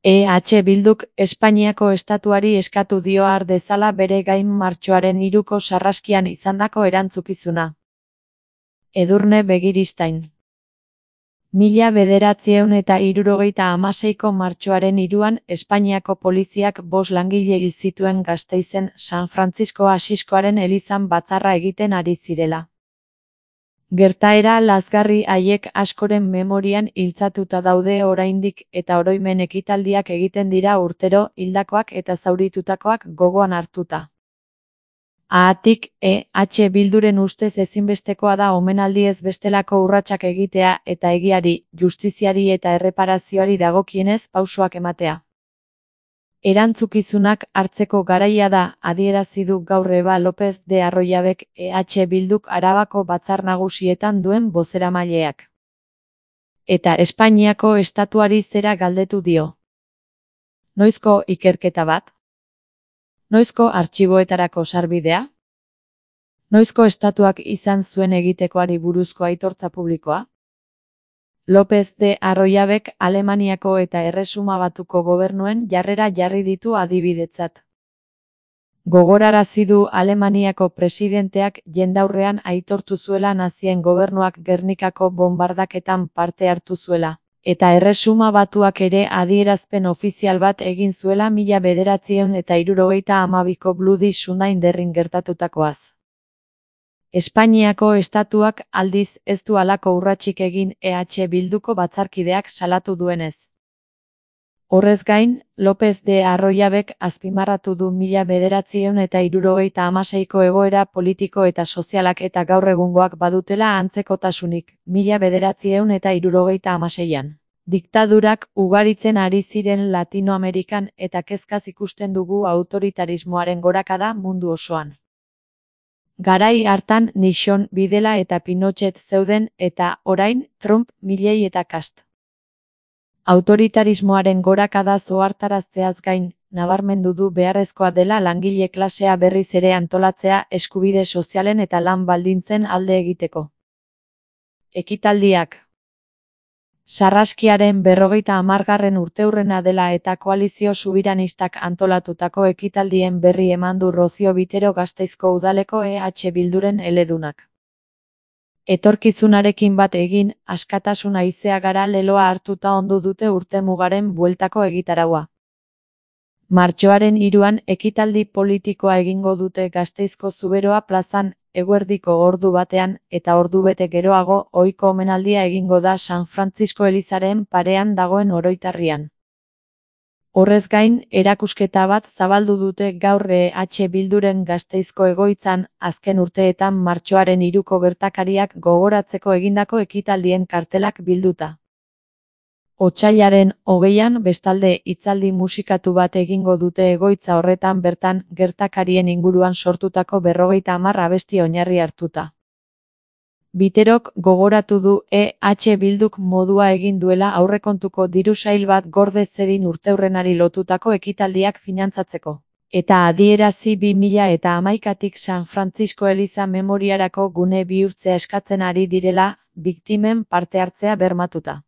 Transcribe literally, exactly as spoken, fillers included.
E H Bilduk Espainiako estatuari eskatu dio har dezala bere gain martxoaren hiruko sarraskian izandako erantzukizuna. Edurne Begiristain. Mila bederatziehun eta hirurogeita hamaseiko martxoaren hiruan Espainiako poliziak bost langile hil zituen Gasteizen San Frantzisko Asiskoaren elizan batzarra egiten ari zirela. Gertaera lazgarri haiek askoren memorian iltzatuta daude oraindik eta oroimen ekitaldiak egiten dira urtero hildakoak eta zauritutakoak gogoan hartuta. Haatik, E H Bilduren ustez ezinbestekoa da omenaldi ez bestelako urratsak egitea eta egiari, justiziari eta erreparazioari dagokienez pausoak ematea. Erantzukizunak hartzeko garaia da, adierazi du gaur Eba López de Arroyabek E H Bilduk Arabako Batzar Nagusietan duen bozeramaileak. Eta Espainiako estatuari zera galdetu dio. Noizko ikerketa bat? Noizko artxiboetarako sarbidea? Noizko estatuak izan zuen egitekoari buruzko aitortza publikoa? López de Arroyabek Alemaniako eta Erresuma Batuko gobernuen jarrera jarri ditu adibidetzat. Gogorarazi du Alemaniako presidenteak jendaurrean aitortu zuela nazien gobernuak Gernikako bonbardaketan parte hartu zuela, eta Erresuma Batuak ere adierazpen ofizial bat egin zuela mila bederatziehun eta hirurogeita hamabiko Bloody Sunday derrin gertatutakoaz. Espainiako estatuak aldiz ez du halako urratsik egin E H Bilduko batzarkideak salatu duenez. Horrez gain, López de Arroyabek azpimarratu du mila bederatziehun eta hirurogeita hamaseiko egoera politiko eta sozialak eta gaur egungoak badutela antzekotasunik, mila bederatziehun eta hirurogeita hamaseian. Diktadurak ugaritzen ari ziren Latinoamerikan eta kezkaz ikusten dugu autoritarismoaren gorakada mundu osoan. Garai hartan Nixon, Bidela eta Pinochet zeuden eta, orain, Trump, Milley eta Cast. Autoritarismoaren gorakada ohartarazteaz gain, nabarmendu du beharrezkoa dela langile klasea berriz ere antolatzea eskubide sozialen eta lan baldintzen alde egiteko. Ekitaldiak. Sarraskiaren berrogeita hamargarren urteurrena dela eta koalizio subiranistak antolatutako ekitaldien berri eman du Rozio Bitero Gasteizko udaleko E H Bilduren eledunak. Etorkizunarekin bat egin, askatasun haizea gara leloa hartuta ondu dute urtemugaren bueltako egitaraua. Martxoaren hiruan ekitaldi politikoa egingo dute Gasteizko Zuberoa plazan, eguerdiko ordu batean, eta ordubete geroago, ohiko omenaldia egingo da San Frantzisko elizaren parean dagoen oroitarrian. Horrez gain, erakusketa bat zabaldu dute gaur E H Bilduren Gasteizko egoitzan, azken urteetan martxoaren hiruko gertakariak gogoratzeko egindako ekitaldien kartelak bilduta. Otsailaren hogeian bestalde hitzaldi musikatu bat egingo dute egoitza horretan bertan gertakarien inguruan sortutako berrogeita hamar abesti oinarri hartuta. Biterok gogoratu du E H Bilduk modua egin duela aurrekontuko diru sail bat gorde zedin urteurrenari lotutako ekitaldiak finantzatzeko. Eta adierazi bi mila eta hamaikatik San Frantzisko eliza memoriarako gune bihurtzea eskatzen ari direla, biktimen parte hartzea bermatuta.